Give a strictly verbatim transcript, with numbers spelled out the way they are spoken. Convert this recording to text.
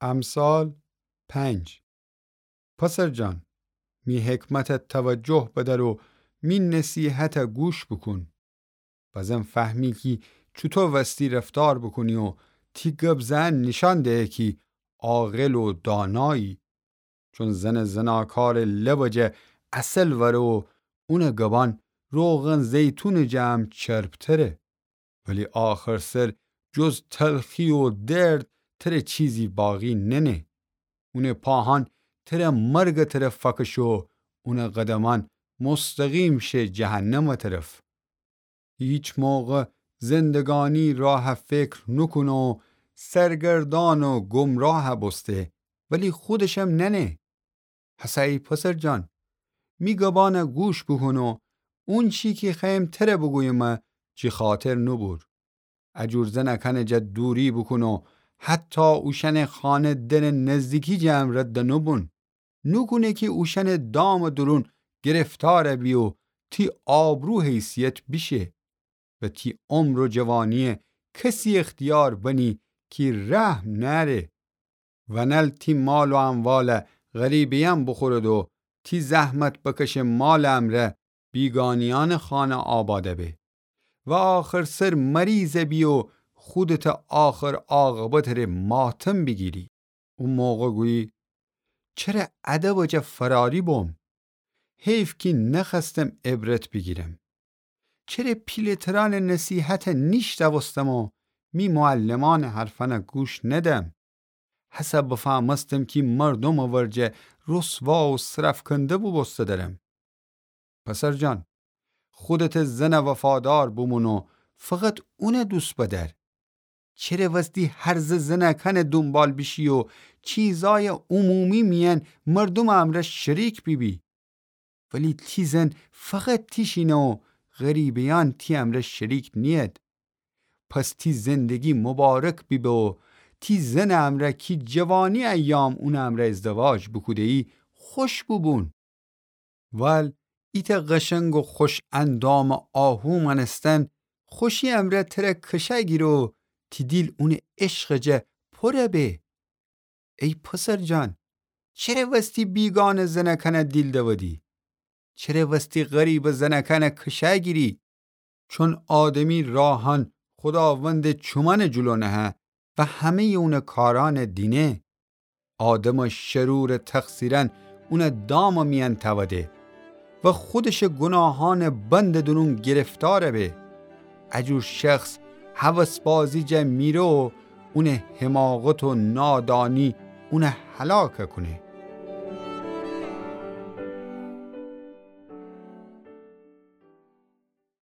امثال پنج. پسر جان، می حکمت توجه بدأر و می نصیحت گوش بوکون. بزن فهمی کی چوطو وستی رفتار بوکونی و تی گب زئن نیشأن دهه کی عاقل و دانایی. چون زنٚ زناکارٚ لبٚ جا عسل وأره و اونٚ گبأن روغن زیتونٚ جا هم چربتره. ولی آخر سر جز تلخی و درد تره چیزی باقی ننه. اونٚ پاهأن تره مرگٚ طرف فأکشه و اونٚ قدمأن مستقیم شه جهنمٚ طرف. هیچ موقع زندگانی راه فکر نوکونه و سرگردان و گمراه بوسته، ولی خودشم ننه. هسه ای پسر جان، می گبأن گوش بوکون و اونچی کی خوأیم تره بوگویم جی خاطر نوبور. اجور زنأکأنٚ جا دوری بوکون و حتی اوشأنٚ خانه دنٚ نزدیکی جا هم رد نوبون. نوکونه کی اوشأنٚ دامٚ دورون گرفتار بی و تی آبرو حیثیت بیشه و تی عمر و جوانی کسی اختیار بنی کی رحم نأره. ونل تی مال و اموال غریبه‌یأن بوخورد و تی زحمت بکشه مالٚ امرأ بیگانیأنٚ خانه آباد به و آخر سر مریض بی و خودتٚ آخر عاقبتٚ ره ماتم بیگیری. او موقع گویی: چره ادبٚ جا فراری بوم؟ حیف کی نخوأستم عبرت بیگیرم. چره پیله‌ترأنٚ نصیحت نیشنوستم و می معلمأنٚ حرفأن گوش ندم؟ هسه بفهمستم کی مردومٚ ورجه رسوا و سرفکنده بوبوسته درم. پسر جان، خودتٚ زنٚ وفادار بومون و فقط اونٚ دوست بدأر. چره وستی هرزه زنأکأنٚ دونبال بیشی و چیزأیٚ عمومی میأن مردومٚ امرأ شریک بیبی؟ ولی تی زن فقط تیشینه و غریبه‌یأن تی امرأ شریک نیید. پس تی زندگی مبارک بیبه و تی زنٚ امرأ کی جوانی ایام اونٚ امرأ ازدواج بوکوده‌یی خوش بوبون. ول ایتأ قشنگ و خوش اندامٚ آهو مأنستن خوشی امرأ تره کشه گیره و تی دیل اونٚ عشقٚ جا پر به. ای پسر جان، چره وستی بیگانه زنأکأن دیل دودی؟ چره وستی غریبٚ زنأکأن کشه گیری؟ چون آدمی راهأن خوداوندٚ چومأنٚ جلو نهه و همه‌یٚ اونٚ کارأن دینه. آدمٚ شرورٚ تقصیرأن اونٚ دامٚ میأن تأوده و خودشٚ گوناهأنٚ بندٚ دورون گرفتار به. اجور شخص هوس‌بازی جا میره و اونٚ حماقت و نادانی اون هلاک کونه.